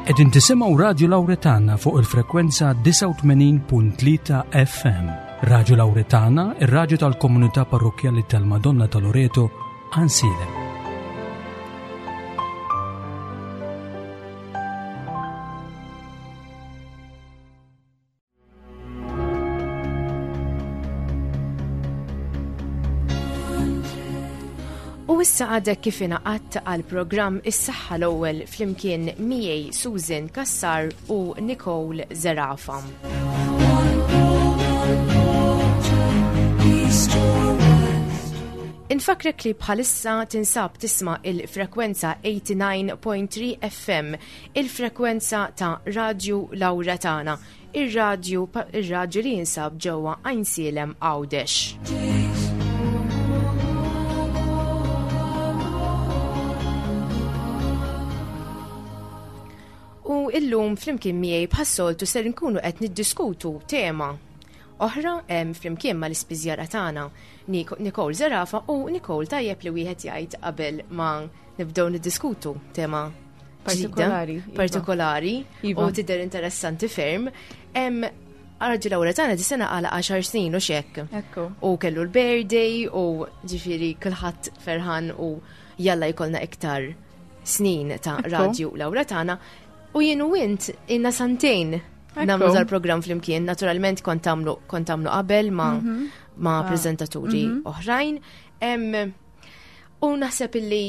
Qegħdin tisimgħu Radju Lawretana fuq il-frekwenza 89.3 FM. Radju Lawretana, ir-radju tal-komunità parrokkjali tal-Madonna ta' Loreto, Ansilem. U issa għadek kif ingħaqadt għal programm Is-Saħħa l-ewwel flimkien miegħi Susan Kassar u Nicole Zerafa. Infakrek li bħalissa tinsab tisma' il-frekwenza 89.3 FM, il-frekwenza ta' Radju Lawra tagħna Ir-radju ir-radju li jinsab ġewwa Għajnsielem Għawdex. U illum flimkien miegħi bħas-soltu ser nkunu qed niddiskutu tema oħra flimkien mal-ispiżjara tagħna Nicole Zerafa u Nicole tajjeb li wieħed jgħid qabel ma nibdew niddiskutu tema partikolari. Iva. Partikolari iva. u tidher interessanti ferm. Arġu l-ewwel tagħna di sena għala 10 snin u xekk. U kellu l-birthday u ġifieri kulħadd ferħan u jalla jkollna iktar snin ta' radju l-awra tagħna. U jien u int inna santejn nagħmlu dal-programm flimkien, naturalment kont tagħmlu kont tagħmlu qabel ma' mhm. ma' ah. preżentaturi mhm. oħrajn. U naħseb illi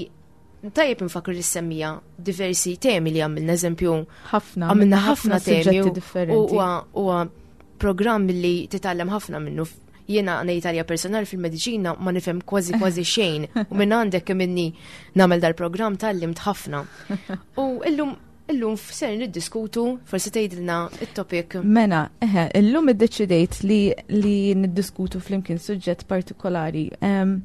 tajjeb nfakru li semmija diversi temi li għamilna, eżempju. Ħafna. Għamilna ħafna temi. differenti. Huwa programm li titgħallem ħafna minnu. Jiena ngħid għalija personali fil-mediċina ma nifhem kważi kważi xejn u minn għandek kemm inni nagħmel dal-programm tgħallimt ħafna. U illum illum ser niddiskutu, forsi tgħidilna it-topic. Mela, eħe, illum iddeċidejt li li niddiskutu flimkien suġġett partikolari. Um,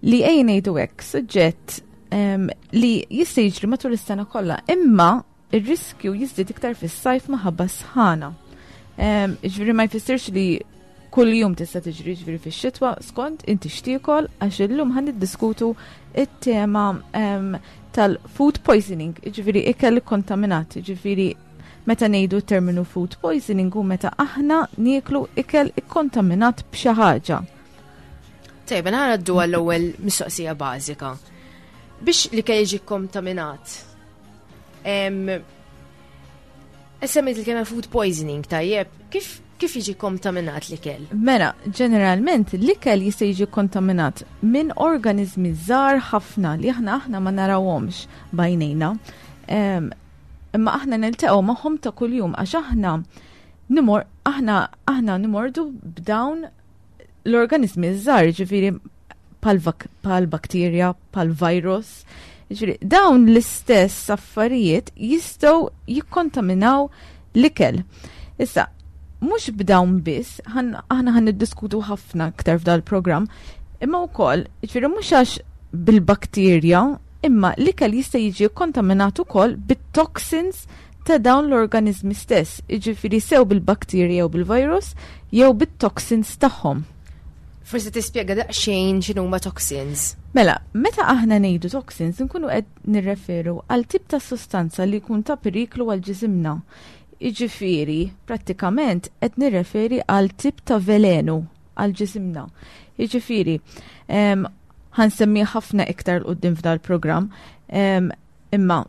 li ejja ngħidu hekk, suġġett um, li jista' jiġri matul is-sena kollha, imma ir-riskju jiżdied iktar fis-sajf maħabba sħana. Um, ġifieri ma jfissirx li kull jum tista' tiġri ġifieri fix-xitwa skont inti xtiekol għax illum ħan niddiskutu it-tema um, tal-food poisoning, ġifieri ikel kontaminat, ġifieri meta ngħidu terminu food poisoning hu meta aħna nieklu ikel ikkontaminat b'xi ħaġa. Tajba, ngħaddu għall-ewwel mistoqsija bażika. Biex li kell jiġi kontaminat. Semmejt il-kelma food poisoning, tajjeb, kif kif jiġi kontaminat l-ikel? Mela, ġeneralment l-ikel jista' jiġi kontaminat minn organizmi żgħar ħafna li aħna aħna ma narawhomx bajnejna. Imma aħna niltaqgħu magħhom ta' kuljum għax aħna nimor aħna aħna nimordu b'dawn l-organizmi żgħar, ġifieri pal bakterja, pal virus. Ġifieri dawn l-istess affarijiet jistgħu jikkontaminaw l-ikel. Issa, mhux b'dawn biss, aħna ħan niddiskutu ħafna aktar f'dal programm imma wkoll, ġifieri mhux għax bil-bakterja, imma l-ikel jista' jiġi kontaminat ukoll bit-toxins ta' dawn l-organiżmi stess, jiġifieri sew bil-bakterji jew bil-virus jew bit-toxins tagħhom. Forsi tispjega daqsxejn x'inhuma toxins. Mela, meta aħna ngħidu toxins nkunu qed nirreferu għal tip ta' sostanza li jkun ta' periklu għal ġisimna. Jiġifieri, prattikament qed nirreferi għal tip ta' velenu għal ġisimna. Jiġifieri, ħansemmi ħafna iktar l-qoddim f'dal-programm, imma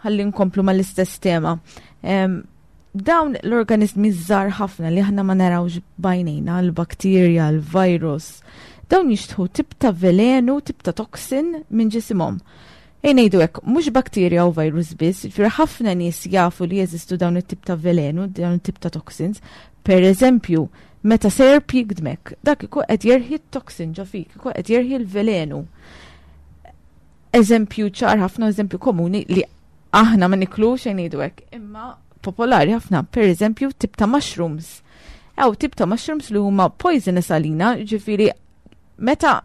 ħalli nkomplu mal-istess tema. Dawn l-organizmi żgħar ħafna li aħna ma narawx bajnejna, l-bakterja, l-virus, dawn jixtħu tip ta' velenu, tip ta' toxin minn ġisimhom. Ejn ngħidu hekk, mhux bakterja u virus biss, ġifieri ħafna nies jafu li jeżistu dawn it-tip ta' velenu, dawn it-tip ta' toxins. Per eżempju, meta serp jigdmek, dak ikun qed jerħi t-toxin ġo fik, ikun qed jerħi l-velenu. Eżempju ċar ħafna, eżempju komuni li aħna ma niklux xejn ngħidu hekk, imma popolari ħafna, per eżempju, tip ta' mushrooms. Ew tip ta' mushrooms li huma poisonous għalina, ġifieri meta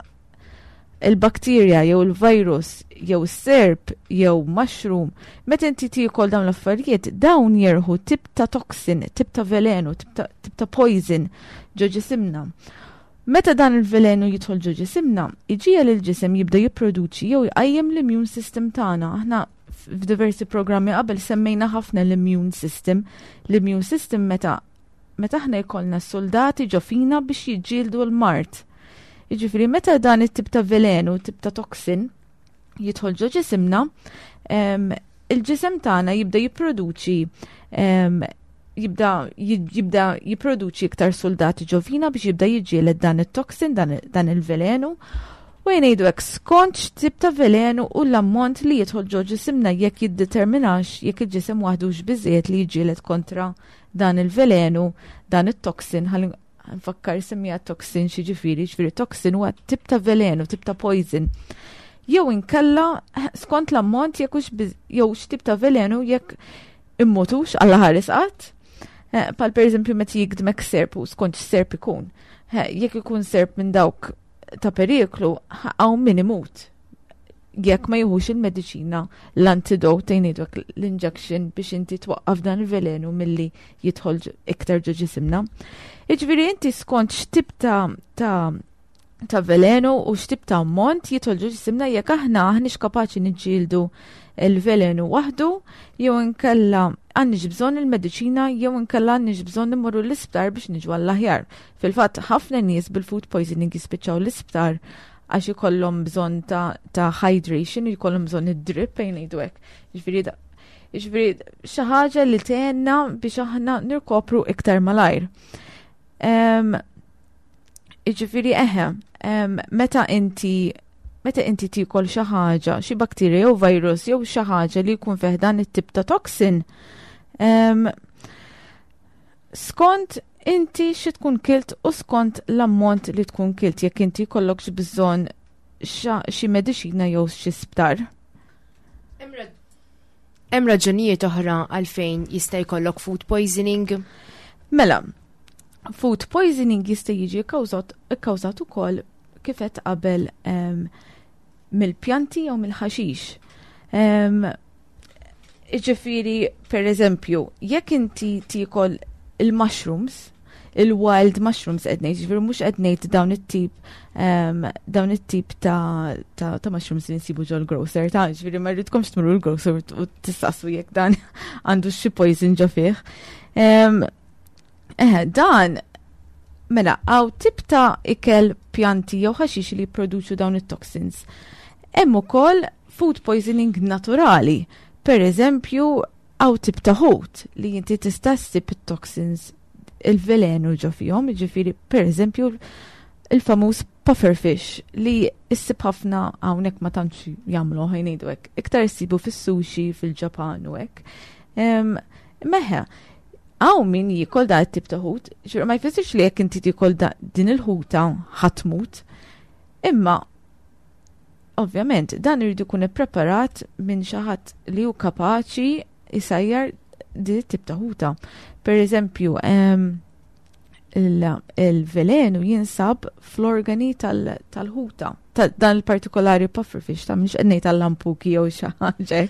il-bakterja jew il-virus jew serp jew mushroom, meta inti tiekol dawn l-affarijiet, dawn jerħu tip ta' toxin, tip ta' velenu, tip ta', tip ta poison ġo ġisimna. Meta dan il-velenu jidħol ġo ġisimna, iġiegħel il-ġisem jibda jipproduċi jew jqajjem l-immune system tagħna. Aħna f'diversi programmi qabel semmejna ħafna l-immune system. L-immune system meta meta aħna jkollna soldati ġo fina biex jiġġieldu l-mard. Jiġifieri meta dan it-tip ta' velenu, tip ta' toxin, jidħol ġo ġisimna, il-ġisem tagħna jibda jipproduċi jibda jibda jipproduċi iktar soldati ġo fina biex jibda jiġġieled dan it-toxin, dan il-velenu. U jgħidu hekk skont x'tip ta' velenu u l-ammont li jidħol ġo ġisimna jekk jiddeterminax jekk il-ġisem waħdux biżejjed li jiġġieled kontra dan il-velenu, dan it-toxin, ħalli nfakkar semmija toxin xi ġifieri, ġifieri toxin huwa tip ta' velenu, tip ta' poison. Jew inkella skont l-ammont jekk hux jew x'tip ta' velenu jekk immutux alla ħares qatt. Eh, pal per eżempju meta jigdmek serp u skont x'serp ikun. Eh, jekk ikun serp minn dawk ta' periklu, hawn min imut jekk ma jieħux il-mediċina l-antidote jgħidulek l-injection biex inti twaqqaf dan il-velenu milli jidħol iktar ġo ġisimna. Jiġifieri inti skont x'tip ta' ta' ta' velenu u x'tip ta' ammont jidħol ġo ġisimna jekk aħna aħniex kapaċi niġġieldu il-velenu waħdu jew inkella għandniex bżonn il-mediċina jew inkella għandniex bżonn immorru l-isptar biex niġu għall-aħjar. Fil-fatt ħafna nies bil-food poisoning jispiċċaw l-isptar għax ikollhom bżonn ta', ta hydration, jkollhom bżonn id-drip fejn ngħidu hekk. Jiġifieri jiġifieri xi ħaġa li tgħinna biex aħna nirkopru iktar malajr. Jiġifieri eħe, meta inti meta inti tiekol xi ħaġa, xi bakterja jew virus jew xi ħaġa li jkun fih dan it-tip ta' toxin, skont inti xi tkun kilt u skont l-ammont li tkun kilt jekk inti jkollokx bżonn xi mediċina jew xi sptar. Hemm raġunijiet oħra għalfejn jista' jkollok food poisoning? Mela, food poisoning jista' jiġi kkawżat ukoll kif qed qabel mill-pjanti jew mill-ħaxix. Iġifieri, per eżempju, jekk inti tiekol il-mushrooms, il-wild mushrooms qed ngħid, ġifieri mhux qed ngħid dawn it-tip dawn it-tip ta', ta, ta mushrooms li nsibu ġol grocer, ta' ġifieri ma rridkomx tmurru l-grocer u tistaqsu jekk dan għandu xi poison ġo fih. Eh, dan mela hawn tip ta' ikel pjanti jew ħaxix li jipproduċu dawn it-toxins. Hemm ukoll food poisoning naturali. Per eżempju, hawn tip ta' ħut li inti tista' ssib it-toxins il-velenu ġo fihom, ġifieri per eżempju il-famuż pufferfish li issib ħafna hawnhekk ma tantx jagħmlu ħa ngħidu hekk. Iktar issibu fis-sushi fil-Ġapan u hekk. Meħe, hawn min jiekol da t-tip ta' ħut, ma jfissirx li jekk inti tiekol din il-ħuta ħa tmut. Imma ovvjament dan irid ikun ippreparat minn xi ħadd li hu kapaċi jsajjar din it-tip ta' ħuta. Per eżempju, il-velenu jinsab fl-organi tal-ħuta. Dan il-partikolari pufferfish, ta' mhux qed tal-lampuki jew xi ħaġa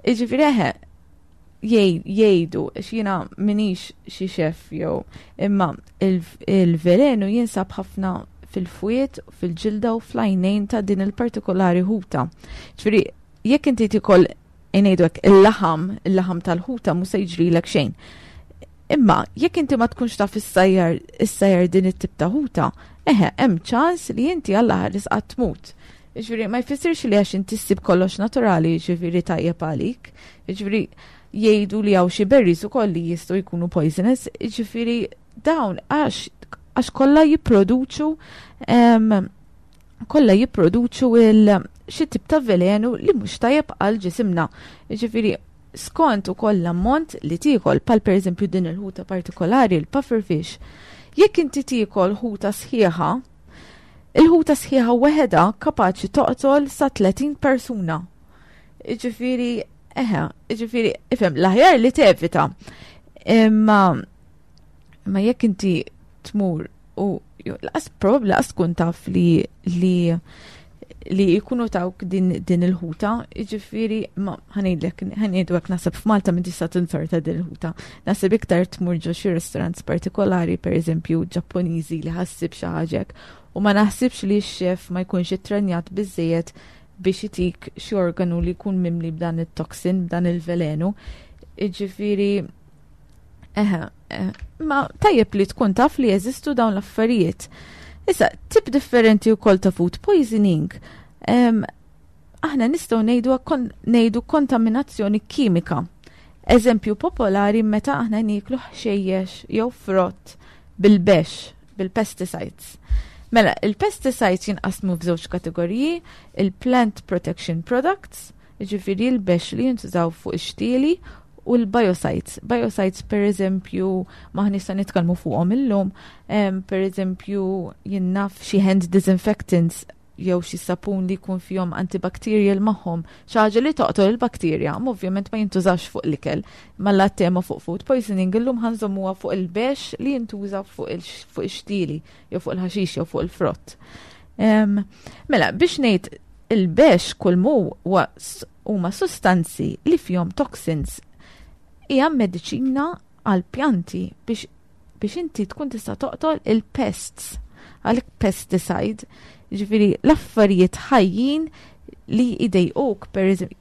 Jiġifieri eħe, jgħidu, x'jiena m'iniex xi chef jew imma il-velenu jinsab ħafna fil-fwied, fil-ġilda u fl-għajnejn ta' din il-partikolari ħuta. Ġifieri, jekk inti tiekol ngħidu hekk il-laħam, il-laħam tal-ħuta mhux se jiġrilek xejn. Imma jekk inti ma tkunx taf issajjar issajjar din it-tip ta' ħuta, eħe, hemm ċans li inti Alla ħares qatt tmut. Ġifieri ma jfissirx li għax inti ssib kollox naturali, ġifieri tajjeb għalik. Ġifieri jgħidu li hawn xi berries ukoll li jistgħu jkunu poisonous, ġifieri dawn għax għax kollha jipproduċu kollha jipproduċu il xi tip ta' velenu li mhux tajjeb għal ġisimna. Ġifieri skont ukoll l-ammont li tiekol, pal pereżempju din il-ħuta partikolari, il pufferfish. Jekk inti tiekol ħuta sħiħa, il-ħuta sħiħa weħeda kapaċi toqtol sa 30 persuna. Ġifieri, eħe, ġifieri, ifhem, l-aħjar li tevita. Imma ma jekk inti tmur u laqas probabbli laqas tkun taf li li li jkunu tawk din, din il-ħuta, ġifieri, ma ħa ngħidlek, ħa ngħidu hekk naħseb f'Malta minn tista' tinsorta din il-ħuta. Naħseb iktar tmur ġo xi restaurants partikolari, per eżempju Ġappuniżi li ħa ssib xi ħaġa u ma naħsibx li x-chef ma jkunx ittrenjat biżejjed. biex itik xi organu li jkun mimli b'dan it-toxin, b'dan il-velenu. Jiġifieri eħe, eh, ma tajjeb li tkun taf li jeżistu dawn l-affarijiet. Issa, tip differenti wkoll ta' food poisoning, aħna nistgħu ngħidu ngħidu kontaminazzjoni kimika. Eżempju popolari meta aħna nieklu ħxejjex jew frott bil-bex, bil-pesticides. Mela, il-pesticides jinqasmu f'żewġ kategoriji, il-plant protection products, jiġifieri l-bex li jintużaw fuq ix-xtieli, u l-biocides. Biocides, per eżempju, m'aħniex se nitkellmu fuqhom illum, per eżempju, jien naf xi hand disinfectants jew xi sapun li jkun fihom antibacterial magħhom, xi ħaġa li toqtol il-bakterja, ma ovvjament ma jintużax fuq l-ikel. Malla tema fuq food poisoning illum ħa nżommuha fuq il-bex li jintuża fuq ix-xtieli jew fuq il-ħaxix jew fuq il-frott. Mela, biex ngħid il-bex kull mu huma sustanzi li fihom toxins hija mediċina għal pjanti biex inti tkun tista' toqtol il-pests, għalhekk pesticide, ġifieri l-affarijiet ħajjin li jdejquk, per eżempju,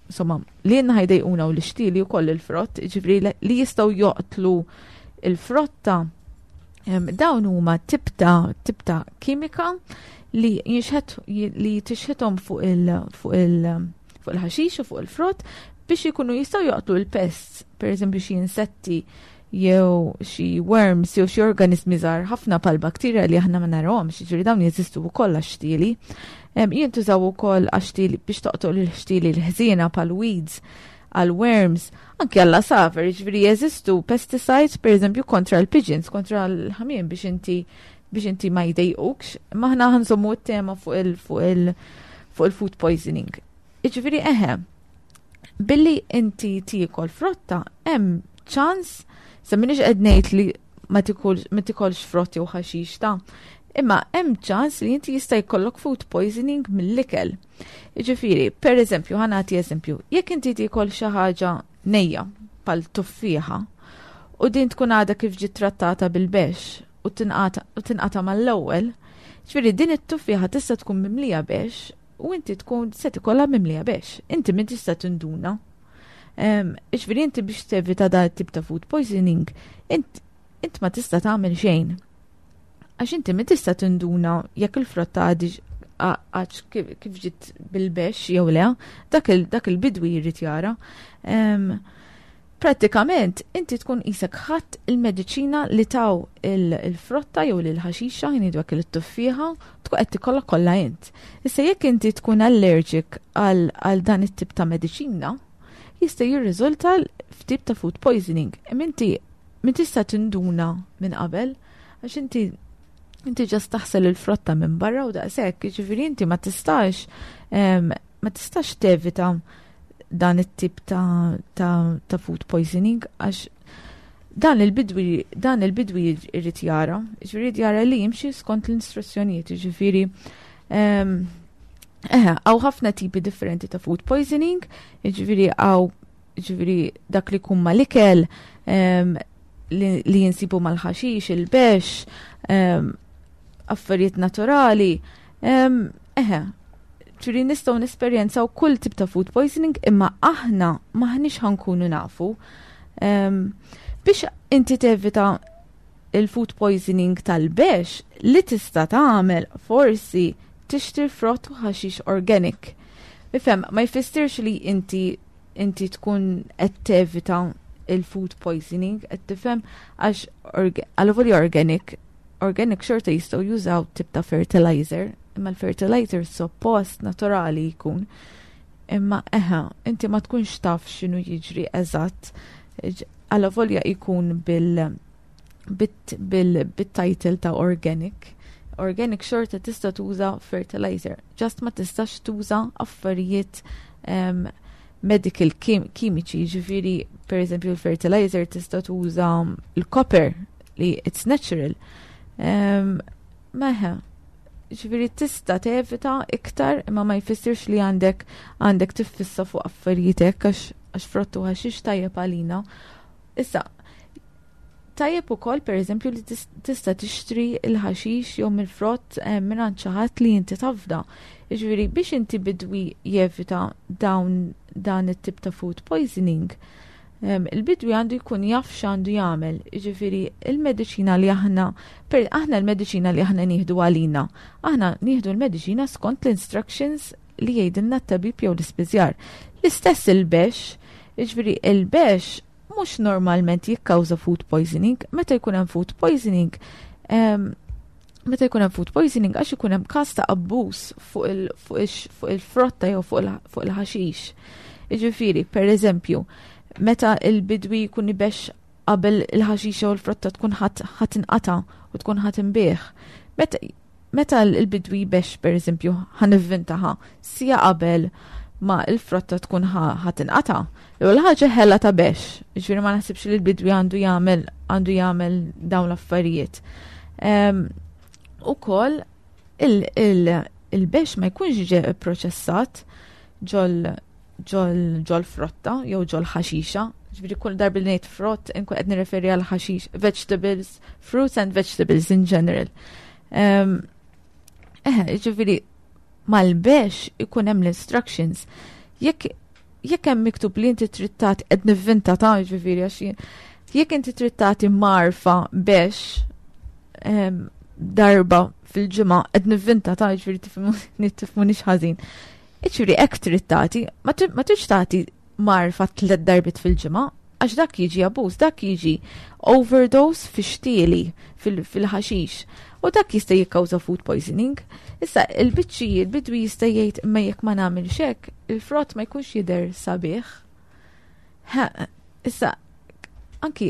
insomma, li jenna ħajdejquna u l-xtili u koll il-frott, ġifieri li jistgħu joqtlu il-frotta, dawn huma tip ta' kimika li jinxħet li tixħithom fuq il-ħaxix u fuq il-frott biex ikunu jistgħu joqtlu l-pests, per eżempju xi insetti jew xi worms jew xi organizmi żgħar ħafna pal bakterja li aħna ma narawhomx, jiġifieri dawn jeżistu wkoll għax-xtieli. Jintużaw ukoll għax-xtieli biex toqtol il-ħxtieli l-ħżiena pal weeds, għal worms, anke għall għasafar, jiġifieri jeżistu pesticides per eżempju kontra l-pigeons, kontra l-ħamiem biex inti ma jdejqukx, m'aħna ħa nżommu t-tema fuq il-food poisoning. Jiġifieri eħe, billi inti tiekol frotta, hemm ċans, sa m'iniex qed ngħid li ma tikolx frott jew ħaxix ta' imma hemm ċans li inti jista' jkollok food poisoning mill-ikel. Jiġifieri, per eżempju, ħa nagħti eżempju, jekk inti tiekol xi ħaġa nejja pal tuffieħa u din tkun għadha kif ġiet trattata bil-bex u tinqata mal-ewwel, ġifieri din it-tuffieħa tista' tkun mimlija bex u inti tkun se tikollha mimlija bex. Inti min tista' tinduna. Ġifieri inti biex tevita da tip ta' food poisoning, int ma tista' tagħmel xejn. Għax inti min tista' tinduna jekk il-frotta għadix għax kif ġiet bil-bex jew le, dak il-bidwi jrid jara. Pratikament, inti tkun qisek ħadt il-mediċina li taw il-frotta jew l-ħaxixa, jnidu għak il-tuffieħa, tkun qed tikollha kollha int. Issa jekk inti tkun allergic għal dan it-tip ta' mediċina, jista' jirriżulta f'tip ta' food poisoning. Inti min tista' tinduna minn qabel, għax inti just taħsel il-frotta minn barra u daqshekk, jiġifieri inti ma tistax tevita dan it-tip ta' food poisoning għax dan il-bidwi irid jara, jiġifieri jara li jimxi skont l-istruzzjonijiet, jiġifieri eħe, hawn ħafna tipi differenti ta' food poisoning, jiġifieri hawn ġifieri dak li jkun mal-ikel, li jinsibu mal-ħaxix, il-bex, affarijiet naturali. Eħe, ġifieri nistgħu nesperjenzaw kull tip ta' food poisoning imma aħna m'aħniex ħa nkunu nafu. Biex inti tevita il-food poisoning tal-bex li tista' tagħmel forsi tixtri frott u ħaxix organic. Ifhem, ma jfissirx li inti tkun qed tevita il-food poisoning, qed tifhem, għax għal organic xorta jistgħu jużaw tip ta' fertilizer, imma l-fertilizer suppost naturali jkun. Imma eħe, inti ma tkunx taf x'inhu jiġri eżatt. Għalavolja jkun bil-title ta' organic. Organic xorta tista' tuża fertilizer, just ma tistax tuża affarijiet medical kimiċi, ġifieri per eżempju l-fertilizer tista' tuża l-copper li it's natural. Meħe, ġifieri tista' tevita iktar imma ma jfissirx li għandek tiffissa fuq affarijiet għax frottu ħaxix tajjeb għalina. Issa, Tajjeb ukoll pereżempju li tista' tixtri l-ħaxix jew mill-frott eh, mingħand xi ħadd li inti tafda. Jiġifieri biex inti bidwi jevita dawn dan it-tip ta' food poisoning, il-bidwi għandu jkun jaf x'għandu jagħmel. Jiġifieri il-mediċina li aħna per aħna l-mediċina li aħna nieħdu għalina, aħna nieħdu l-mediċina skont l-instructions li jgħidilna t-tabib jew l-ispiżjar. L-istess il-bex, jiġifieri il-bex mhux normalment jikkawża food poisoning, meta jkun hemm food poisoning, meta jkun hemm food poisoning għax ikun hemm każ ta' abbuż fuq il-frotta jew fuq il-ħaxix. Jiġifieri, per eżempju, meta il-bidwi jkun ibex qabel il-ħaxixa u l-frotta tkun ħadd inqata' u tkun ħadd inbih. Meta Meta l-bidwi jbexx pereżempju ħa nivvintaha siegħa qabel ma l-frotta tkun ħa tinqata', l-ewwel ħaġa ħela ta' bexx, jiġifieri ma naħsibx li l-bidwi għandu jagħmel għandu jagħmel dawn l-affarijiet. Ehm, ukoll il-bexx ma jkunx ġe proċessat ġol ġol frotta jew ġol ħaxixa. Ġifieri kull darba li ngħid frott inkun qed nirreferi għal ħaxix, vegetables, fruits and vegetables in general. Ehm, eh, ġifieri mal-bex ikun hemm l-instructions. Jekk jekk hemm miktub li inti trid tagħti qed nivvinta ta' ġifieri għax jekk inti trid tagħti marfa bex ehm, darba fil-ġimgħa qed nivvinta ta' ġifieri tifhimuni ħażin. Iġifieri hekk trid tagħti, ma tridx tagħti marfa tliet darbiet fil-ġimgħa, għax dak jiġi abuż, dak jiġi overdose fi xtieli fil-ħaxix. U dak jista' jikkawża food poisoning. Issa il-biċċi il-bidwi jista' jgħid imma jekk ma nagħmilx hekk, il-frott ma jkunx jidher sabiħ. Issa anki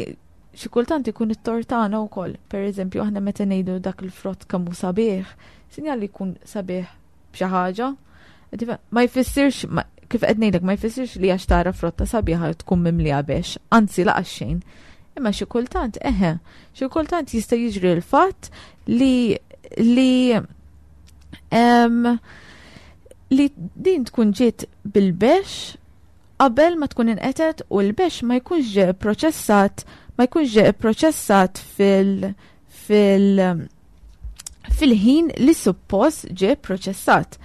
xi kultant ikun it-tort tagħna wkoll. Per eżempju, aħna meta ngħidu dak il-frott kemm hu sabiħ, sinjal li jkun sabiħ b'xi ħaġa. Ma jfissirx, kif qed ngħidlek, ma jfissirx li għax tara frotta sabiħa tkun mimlija bex, anzi laqas xejn. Imma xi kultant, eħe, xi kultant jista' jiġri l-fatt li li um, li din tkun ġiet bil-bex qabel ma tkun inqetet u l-bex ma jkunx ġie proċessat ma jkunx ġie proċessat fil fil fil-ħin li suppost ġie proċessat.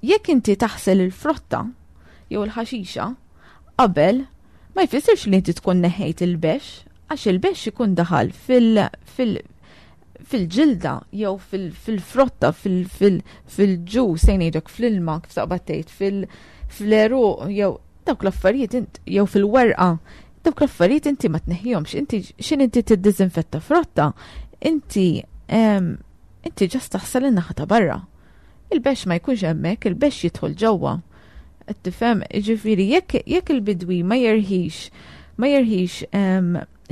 Jekk inti taħsel il-frotta jew il-ħaxixa qabel ma jfissirx li inti tkun neħejt il-bex, għax il-bex ikun daħal fil-, fil fil-ġilda jew fil-frotta, fil-ġus, se ngħidlek fl-ilma kif taqbad tgħid, fil-għeruq jew dawk l-affarijiet jew fil-werqa, dawk l-affarijiet inti ma tneħħihomx, inti x'in inti tiddiżinfetta frotta, inti inti ġast taħsel in-naħa ta' barra. Il-bex ma jkunx hemmhekk, il-bex jidħol ġewwa. Qed tifhem, jiġifieri jekk jekk il-bidwi ma jerħix ma jerħix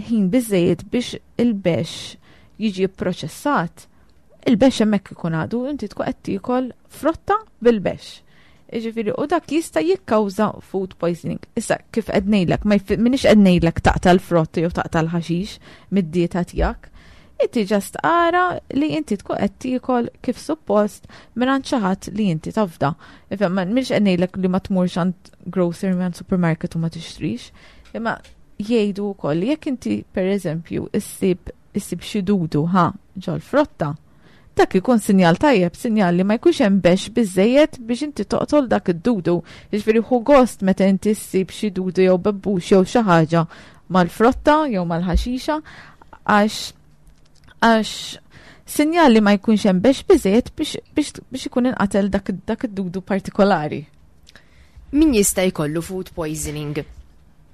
ħin biżejjed biex il-bex jiġi pproċessat, il-bex hemmhekk ikun għadu, inti tkun qed tiekol frotta bil-bex. Jiġifieri u dak jista' jikkawża food poisoning. Issa kif qed ngħidlek, ma minix qed ngħidlek taqta' l-frott jew taqta' l-ħaxix mid-dieta tiegħek. Inti ġast ara li inti tkun qed tiekol kif suppost mingħand xi ħadd li inti tafda. Ifhem, minix qed ngħidlek li ma tmurx għand grocer minn supermarket u ma tixtrix. Imma jgħidu wkoll li jekk inti pereżempju issib issib xi dudu ħa ġol-frotta, dak ikun sinjal tajjeb, sinjal li ma jkunx hemm bex biżejjed biex inti toqtol dak id-dudu. Jiġifieri ħu gost meta inti ssib xi dudu jew bebbux jew xi ħaġa mal-frotta jew mal-ħaxixa għax għax sinjal li ma jkunx hemm bex biżejjed biex, biex, biex ikun inqatel dak, dak id-dudu partikolari. Min jista' jkollu food poisoning?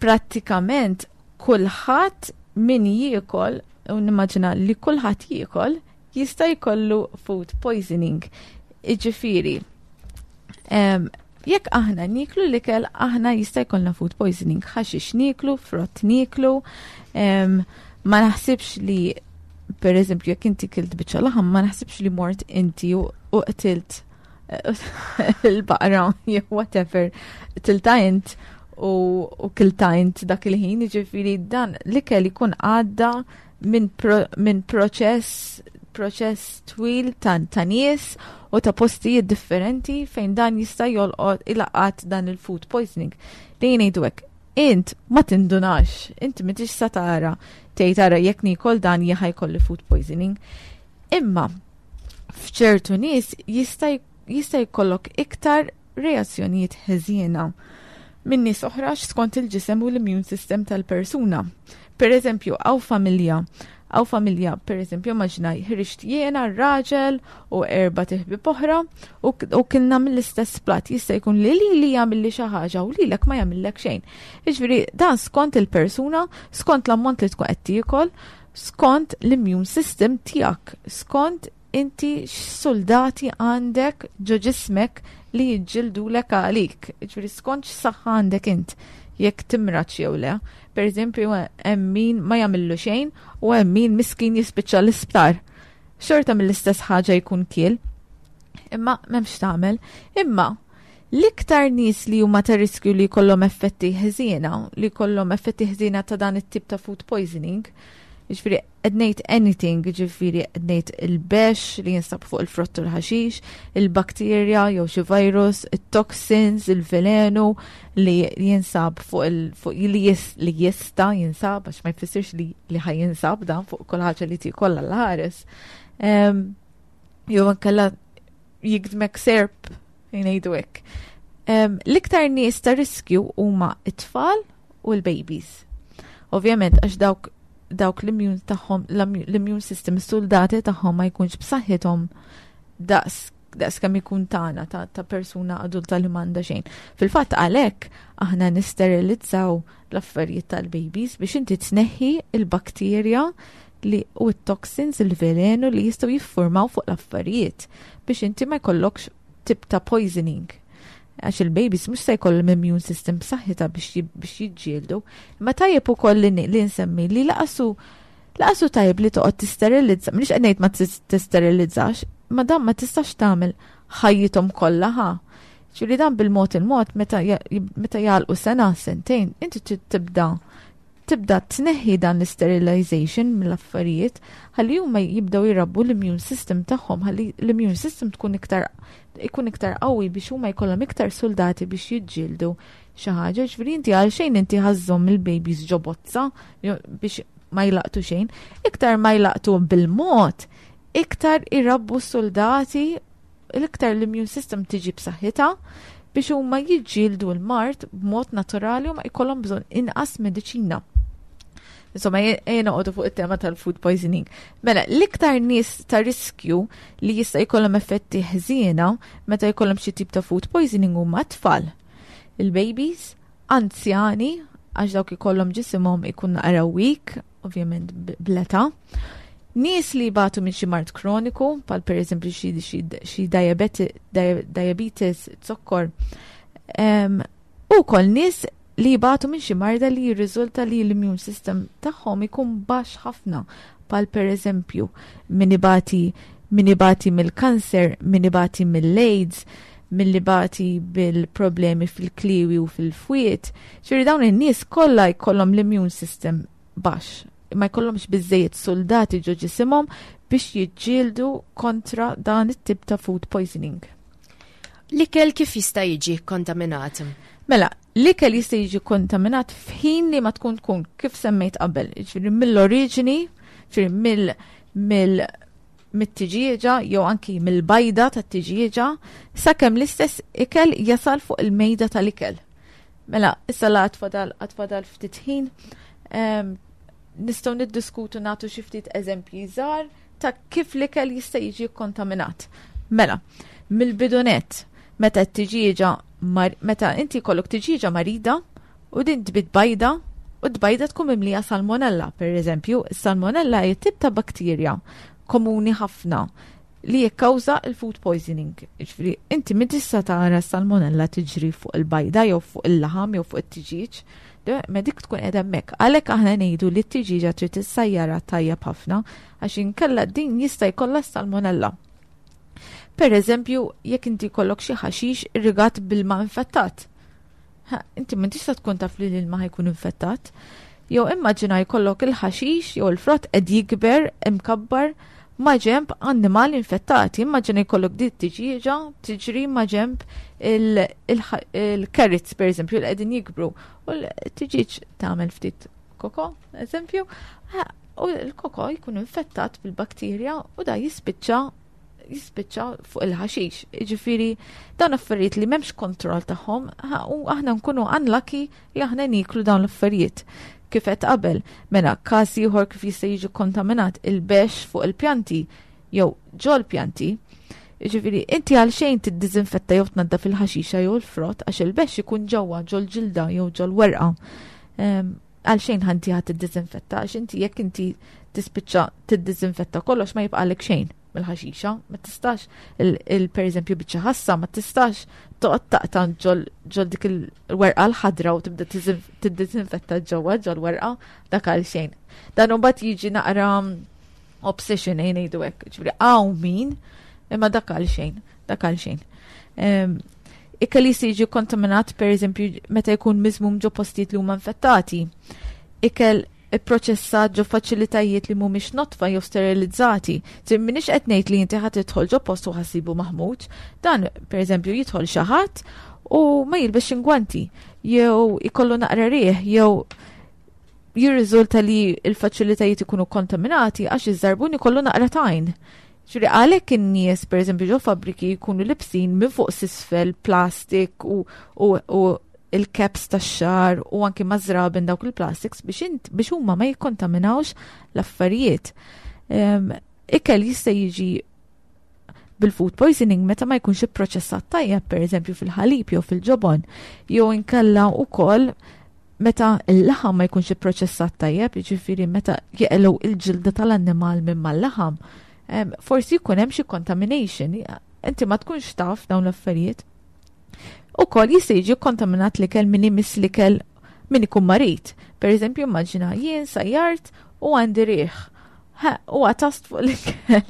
Prattikament kulħadd min jiekol, u nimmaġina li kulħadd jiekol, jista' jkollu food poisoning. Iġifieri, jekk aħna niklu l-ikel, aħna jista' jkollna food poisoning. Ħaxix niklu, frott niklu, ma naħsibx li per eżempju jekk inti kilt biċċa laħam, ma naħsibx li mort inti u qtilt il-baqra jew whatever tilta int u, u kilta int dak il-ħin, ġifiri dan l-ikel ikun għadda minn pro, min proċess proċess twil ta', ta nies u ta' postijiet differenti fejn dan jista' jolqot ilaqat dan il-food poisoning. Li ngħidu hekk. Int ma tindunax, inti m'intix sa tara tgħid ara jekk niekol dan jien ħa jkolli food poisoning. Imma f'ċertu nies jista' jista' jkollok iktar reazzjonijiet ħeżiena minn nies oħra skont il-ġisem u l-immune system tal-persuna. Per eżempju, hawn familja, per eżempju, immaġina ħriġt jiena, raġel u erbat iħbieb oħra u kilna mill-istess plat. Jista' jkun li li jagħmilli xi ħaġa u lilek ma jagħmillek xejn. Jiġifieri dan skont il-persuna, skont l-ammont li tkun qed tiekol, skont l-immune system tiegħek, skont inti x'soldati għandek ġo ġismek li jiġġildulek għalik. Ġifieri skont x'saħħa għandek int jekk timrax jew le. Per eżempju, hemm min ma jagħmillu xejn u hemm min miskin jispiċċa l-isptar. Xorta mill-istess ħaġa jkun kiel. Imma m'hemmx tagħmel. Imma l-iktar nies li huma ta' riskju li jkollhom effetti ħżiena, li jkollhom effetti ħżiena ta' dan it-tip ta' food poisoning, jiġifieri qed ngħid anything, ġifieri qed ngħid il-bex li jinsab fuq il-frott u l-ħaxix, il-bakterja jew xi virus, it-toxins, il-velenu li jinsab fuq il fuq li, jis, li jista jinsab, għax ma jfissirx li ħa jinsab dan fuq kull ħaġa li tiekol l-ħares. Jew inkella jigdmek serp, jgħidu hekk. L-iktar nies ta' riskju huma it-tfal u l-babies. Ovvjament, għax dawk l-immune tagħhom, l-immune system, is-soldati tagħhom ma jkunx b'saħħithom daqs kemm ikun tagħna ta' persuna adulta li m'għandha xejn. Fil-fatt għalhekk aħna nisterilizzaw l-affarijiet tal-babies biex inti tneħħi il-bakterja li u t-toxins, il-velenu li jistgħu jiffurmaw fuq l-affarijiet biex inti ma jkollokx tip ta' poisoning. Għax il-babies mhux se jkollhom immune system b'saħħitha biex jiġġieldu. Imma tajjeb ukoll li nsemmi li lanqas hu tajjeb li toqgħod tisterilizza, m'iniex qed ngħid ma tisterilizzax, ma dan ma tistax tagħmel ħajjithom kollha ħa. Ġifieri dan bil-mod il-mod meta jagħlqu sena, sentejn, inti trid tibda tneħħi dan l-sterilization mill-affarijiet ħalli huma jibdew jirabbu l-immune system tagħhom, ħalli l-immune system tkun iktar ikun iktar qawwi biex huma jkollhom iktar soldati biex jiġġieldu xi ħaġa. Ġifieri inti għalxejn inti ħa żżomm il-babies ġo bozza biex ma jlaqtu xejn. Iktar ma jlaqtu bil-mod, iktar irabbu soldati, l-iktar l-immune system tiġi b'saħħitha biex huma jiġġieldu l-mard b'mod naturali u ma jkollhom bżonn inqas mediċina. Insomma, ejja noqogħdu fuq it-tema tal-food poisoning. Mela, l-iktar nies ta' riskju li jista' jkollhom effetti ħżiena meta jkollhom xi tip ta' food poisoning huma tfal. Il-babies, anzjani, għax dawk ikollhom ġisimhom ikun naqra weak, ovvjament bl-età. Nies li jbatu minn xi mard kroniku, bħal per eżempju xi diabetes, zokkor, u wkoll nies li jbatu minn xi marda li jirriżulta li l-immune system tagħhom ikun baxx ħafna, bħal per eżempju min ibati mill-kanser, min ibati mill-AIDS, min ibati bil-problemi fil-kliwi u fil-fwiet. Ġifieri dawn in-nies kollha jkollhom l-immune system baxx, ma jkollhomx biżejjed soldati ġo ġisimhom biex jiġġieldu kontra dan it-tip ta' food poisoning. L-ikel kif jista' jiġi kontaminat? Mela, l-ikel jista' jiġi kontaminat f'ħin li ma tkun kif semmejt qabel, ġifieri mill-oriġini, ġifieri mill mill mit-tiġieġa jew anki mill-bajda tat-tiġieġa sakemm l-istess ikel jasal fuq il-mejda tal-ikel. Mela, issa la għad fadal ftit ħin, nistgħu niddiskutu, nagħtu xi ftit eżempji żgħar ta' kif l-ikel jista' jiġi kontaminat. Mela, mill-bidu nett, meta t-tiġieġa meta inti jkollok tiġieġa marida u din tbid bajda u d-bajda tkun mimlija salmonella, per eżempju, salmonella hija tip ta' bakterja komuni ħafna li jikkawża il-food poisoning. Ġifieri, inti min tista' tara salmonella tiġri fuq il-bajda jew fuq il-laħam jew fuq it-tiġieġ, ma dik tkun qiegħda hemmhekk. Għalhekk aħna ngħidu li t-tiġieġa trid tissajjara tajjeb ħafna għax inkella din jista' jkollha salmonella. Per eżempju, jekk inti jkollok xi ħaxix irrigat bil-ma infettat. Ha, inti ma tista' tkun taf li l-ilma ħa jkun infettat. Jew immaġina jkollok il-ħaxix jew il-frott qed jikber imkabbar. ma' ġemb annimali infettati. Immaġina jkollok di tiġieġa tiġri ma' ġemb il-carrots per eżempju li qegħdin jikbru u l-tiġieġ tagħmel ftit koko, eżempju, u l-koko jkun infettat bil-bakterja u da jispiċċa jispiċċa fuq il-ħaxix. Ġifieri dawn affarijiet li m'hemmx kontroll tagħhom u aħna nkunu unlucky li aħna niklu dawn l-affarijiet. Kif qed qabel, mela każ ieħor kif jista' jiġi kontaminat il-bex fuq il-pjanti jew ġol pjanti. Ġifieri inti għal xejn tiddiżinfetta jew tnaddaf il-ħaxixa jew il-frott għax il-bex ikun ġewwa ġol ġilda jew ġol werqa. Għal xejn ħanti ħadd tiddiżinfetta għax inti jekk inti tispiċċa tiddiżinfetta kollox ma jibqalek xejn mill-ħaxixa, ma tistax il per eżempju biċċa ħassa, ma tistax toqgħod taqta' ġol dik il-werqa l-ħadra u tibda tiddiżinfetta ġewwa ġol werqa dak għal xejn. Dan imbagħad jiġi naqra obsession ejn ngħidu hekk, ġifieri hawn min imma dak għal xejn, dak għal xejn. Ikel jista' jiġi kontaminat per eżempju meta jkun miżmum ġo postijiet li huma infettati. Ikel ipproċessat ġo faċilitajiet li mhumiex notfa jew sterilizzati. Tir minix qed ngħid li inti ħadd tidħol ġo post u ħassibu maħmuġ. Dan pereżempju jidħol xi ħadd u ma jilbex ingwanti jew ikollu naqra riħ jew jirriżulta li l-faċilitajiet ikunu kontaminati għax iż-żarbun ikollu naqra tajn. Ġifieri għalhekk in-nies pereżempju ġo fabbriki jkunu libsin minn fuq s'isfel plastik u, u, u il-caps tax-xar u anki mażraben dawk il-plastics biex int biex huma ma jikkontaminawx l-affarijiet. Ikel jista' jiġi bil-food poisoning meta ma jkunx ipproċessat tajjeb, per eżempju fil-ħalib jew fil-ġobon, jew inkella wkoll meta l-laħam ma jkunx ipproċessat tajjeb, jiġifieri meta jeqgħu il-ġilda tal-annimal minn mal-laħam, forsi jkun hemm xi contamination. Inti ma tkunx taf dawn l-affarijiet. Ukoll jista' jiġi kontaminat l-ikel min imiss l-ikel min ikun marid. Per eżempju, immaġina jien sajjart u għandi riħ. Ha, u għatast fuq l-ikel.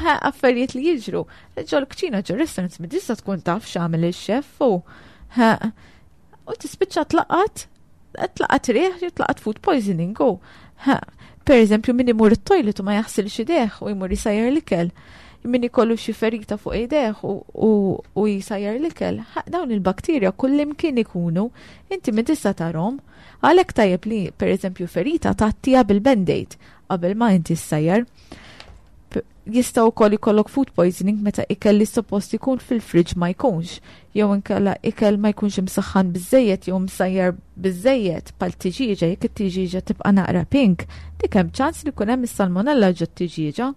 Ha, affarijiet li jiġru. Ġol kċina ġol restaurants mi tista' tkun taf x'għamel il-xef u ha, u tispiċċa tlaqat tlaqat riħ jew tlaqat food poisoning u ha, per eżempju min imur it-toilet u ma jaħsilx idejh u jmur jisajjar l-ikel min ikollu xi ferita fuq idejh u, u, u jisajjar l-ikel, dawn il-bakterja kullimkien ikunu, inti min tista' tarhom. Għalhekk tajjeb li per eżempju ferita tgħattiha bil-band-aid qabel ma inti ssajjar. Jista' wkoll ikollok food poisoning meta ikel li suppost ikun fil-fridge ma jkunx, jew inkella ikel ma jkunx imsaħħan biżejjed jew msajjar biżejjed bħal tiġieġa, jekk it-tiġieġa tibqa' naqra pink, dik hemm ċans li jkun hemm is-salmonella ġo t-tiġieġa.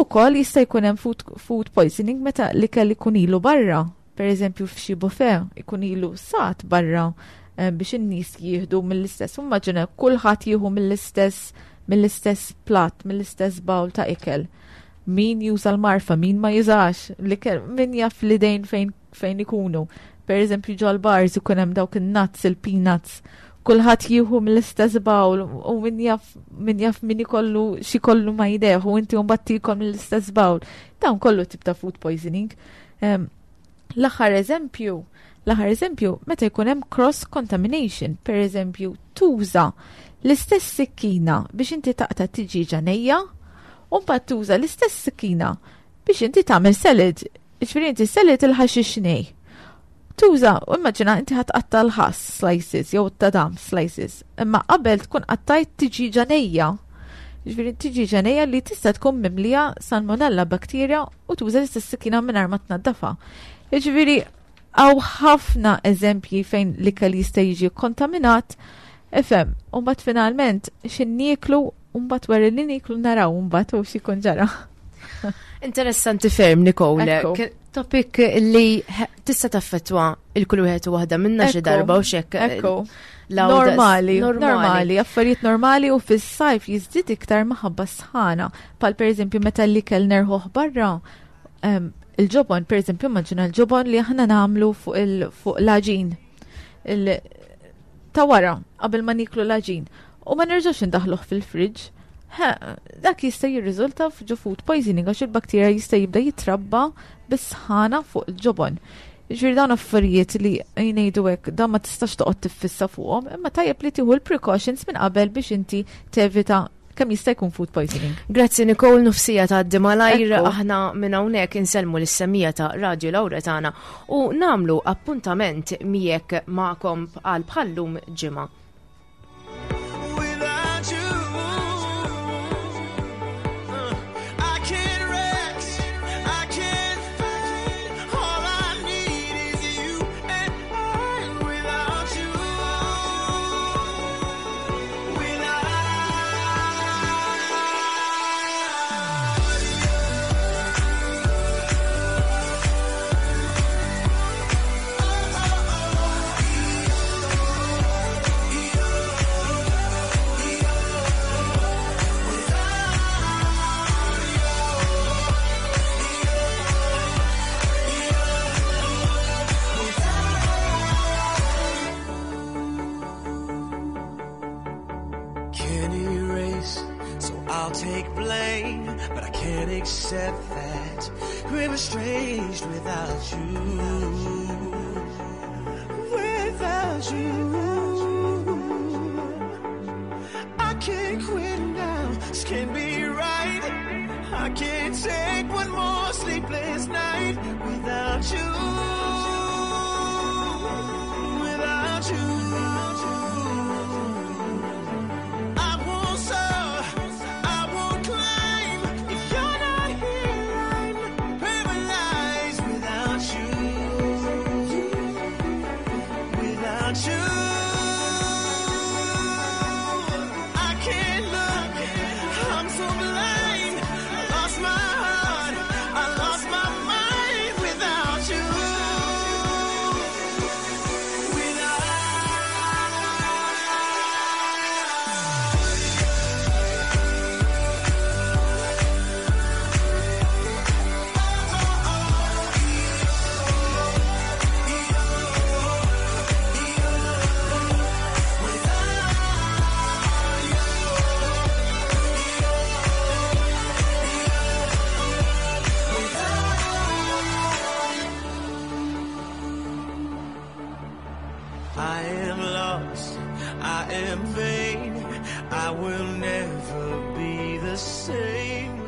Ukoll jista' jkun hemm food, food poisoning meta l-ikel ikun ilu barra, per eżempju f'xi buffet ikun ilu sat barra biex in-nies jieħdu mill-istess. Immaġina kulħadd jieħu mill-istess mill-istess plat, mill-istess bowl ta' ikel. Min juża l-marfa, min ma jużax, l-ikel, min jaf l-idejn fejn, fejn ikunu. Per eżempju ġol bars ikun hemm dawk in-nuts, il-peanuts, kulħadd jieħu mill-istess bowl u min jaf min jaf min ikollu xi kollu ma jdejh u inti mbagħad tiekol mill-istess bowl. Dawn kollu tip ta' food poisoning. L-aħħar eżempju, l-aħħar eżempju meta jkun hemm cross contamination, per eżempju tuża l-istess sikkina biex inti taqta' tiġieġa nejja u mbagħad tuża l-istess sikkina biex inti tagħmel salad. Ġifieri inti salad il-ħaxix nej. Tuża, u immaġina inti ħa tqatta' l-ħass slices jew tadam slices, imma qabel tkun qattajt tiġieġa nejja. Ġifieri tiġieġa nejja li tista' tkun mimlija salmonella bakterja u tuża l-istess sikkina mingħajr ma tnaddafa. Ġifieri hawn ħafna eżempji fejn l-ikel jista' jiġi kontaminat. Ifhem, u mbagħad finalment x'in nieklu u mbagħad wara li nieklu naraw mbagħad u x'ikun ġara. Interessanti ferm, Nicole. Ekku. Topic li tista' taffettwa il-kull wieħed u waħda minna xi darba u xek. Ekku. Normali, normali, affarijiet normali u fis-sajf jiżdied iktar maħabba sħana. Pal per eżempju meta l-ikel nerħuh barra, il-ġobon, per eżempju, immaġina l-ġobon li aħna nagħmlu fuq l-għaġin. Ta' wara, qabel ma niklu l-għaġin. U ma nerġax indaħluh fil-fridge. Dak jista' jirriżulta f'ġo food poisoning għax il-bakterja jista' jibda jitrabba bis-sħana fuq il-ġobon. Ġifieri dawn affarijiet li jgħidu hekk, dan ma tistax toqgħod tiffissa fuqhom, imma tajjeb li tieħu l-precautions minn qabel biex inti tevita kemm jista' jkun food poisoning. Grazzi Nicole, nofsija ta' malajr aħna minn hawnhekk insellmu lis-semija ta' Radio Lauretana u namlu appuntament miegħek magħkom għal bħallum ġimgħa. Accept that we're estranged without you. Without you, I can't quit now. This can't be right. I can't take one more sleepless night without you. Without you. I won't soar, I won't climb. If you're not here, I'm paralyzed without you. Without you, I can't look. I'm so blind. I lost my heart. I lost my mind without you. I am lost, I am vain, I will never be the same.